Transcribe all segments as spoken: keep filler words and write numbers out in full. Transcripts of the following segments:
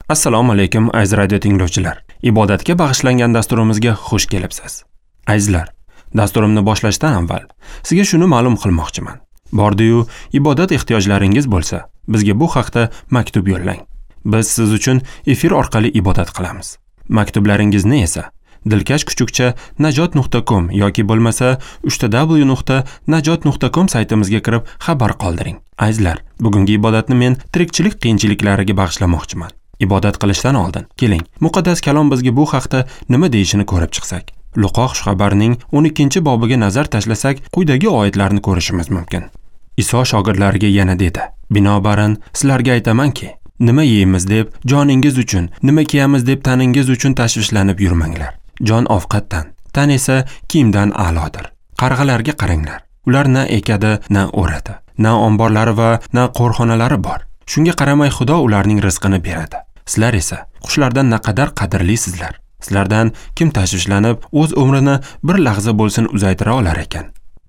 Assalomu alaykum aziz radio tinglovchilar. Ibodatga bag'ishlangan dasturimizga xush kelibsiz. Azizlar, dasturimni boshlashdan avval sizga shuni ma'lum qilmoqchiman. Bordi-yu ibodat ehtiyojlaringiz bo'lsa, bizga bu haqda maktub yo'llang. Biz siz uchun efir orqali ibodat qilamiz. Maktublaringizni esa dilkash kuchukcha najot nuqta com yoki bo'lmasa uchta w nuqta najot nuqta com saytimizga kirib xabar qoldiring. Azizlar, bugungi ibodatni men tirikchilik qiyinchiliklariga bag'ishlamoqchiman. Ibodat qilishdan oldin keling, muqaddas kalom bizga bu haqda nima deyishini ko'rib chiqsak. Luqo xushxabarning o'n ikkinchi bobiga nazar tashlasak, quyidagi oyatlarni ko'rishimiz mumkin. Iso shogirdlariga yana dedi: "Binobarin, sizlarga aytamanki, nima yeymiz deb joningiz uchun, nima kiyamiz deb taningiz uchun tashvishlanib yurmanglar. Jon ovqatdan, tan esa kiyimdan a'lodir. Qarg'alarga qaranglar. Ular na ekadi, na o'radi, na omborlari va na qo'rxonalari bor. Shunga qaramay Xudo ularning rizqini beradi. Sizlar esa qushlardan naqadar qadrlisizlar. Sizlardan kim tashvishlanib o'z umrini bir lahza bo'lsin uzaytira olar ekan?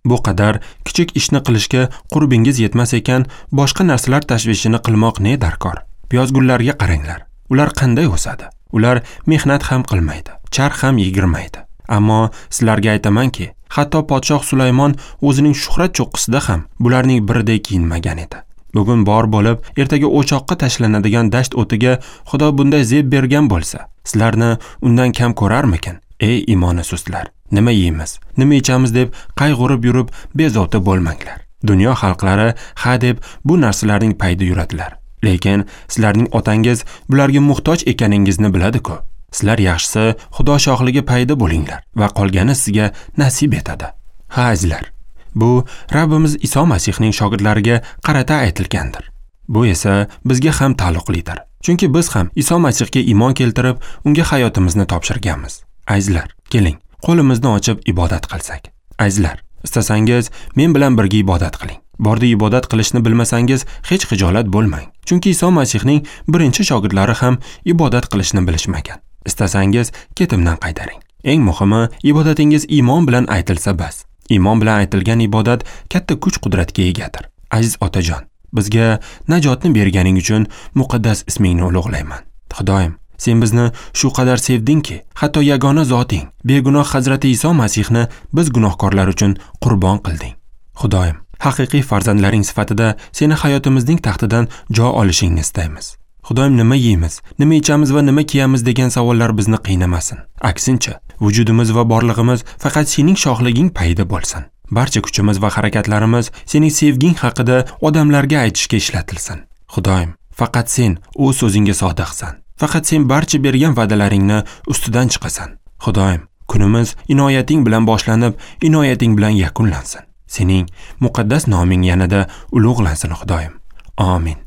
Bu qadar kichik ishni qilishga qurbingiz yetmas ekan, boshqa narsalar tashvishini qilmoq ne darkor? Piyozgullarga qaranglar. Ular qanday o'sadi? Ular mehnat ham qilmaydi, charx ham yegirmaydi. Ammo sizlarga aytamanki, hatto podshoh Sulaymon o'zining shuhrat cho'qqisida ham bularning biriday kiyinmagan edi. Bugun bor bo'lib, ertaga o'choqqa tashlanadigan dasht o'tiga Xudo bunday zeb bergan bo'lsa, sizlarni undan kam ko'rarmikin? Ey imoni sustlar, nima yeymiz, nima ichamiz deb qayg'urib yurib bezovta bo'lmanglar. Dunyo xalqlari ha deb bu narsalarning payida yuradilar. Lekin sizlarning otangiz bularga muhtoj ekaningizni biladi-ku. Sizlar yaxshisi Xudo shohligi payida bo'linglar va qolgani sizga nasib etadi. Ha azizlar, bu Rabbimiz Iso Masihning shogirdlariga qarata aytilgandir. Bu esa bizga ham taalluqlidir. Chunki biz ham Iso Masihga iymon keltirib, unga hayotimizni topshirganmiz. Azizlar, keling, qo'limizni ochib ibodat qilsak. Azizlar, istasangiz men bilan birga ibodat qiling. Bordi ibodat qilishni bilmasangiz hech xijolat bo'lmang. Chunki Iso Masihning birinchi shogirdlari ham ibodat qilishni bilishmagan. Istasangiz ketimdan qaytaring. Eng muhimi, ibodatingiz iymon bilan aytilsa bas. Iymon bilan aytilgan ibodat katta kuch-qudratga egadir. Aziz otajon, bizga najotni berganing uchun muqaddas ismingni ulug'layman. Xudoyim, sen bizni shu qadar sevdingki, hatto yagona zoting, begunoh Hazrati Iso Masihni biz gunohkorlar uchun qurbon qilding. Xudoyim, haqiqiy farzandlaring sifatida seni hayotimizning taxtidan joy olishingni istaymiz. Xudoyim, nima yeymiz, nima ichamiz va nima kiyamiz degan savollar bizni qiynamasin. Aksincha, vujudimiz va borlig'imiz faqat sening shohliging payida bo'lsin. Barcha kuchimiz va harakatlarimiz sening sevging haqida odamlarga aytishga ishlatilsin. Xudoyim, faqat sen o'z so'zingga sodiqsan. Faqat sen barcha bergan va'dalaringni ustidan chiqasan. Xudoyim, kunimiz inoyating bilan boshlanib, inoyating bilan yakunlansin. Sening muqaddas noming yanada ulug'lansin, Xudoyim. Amin.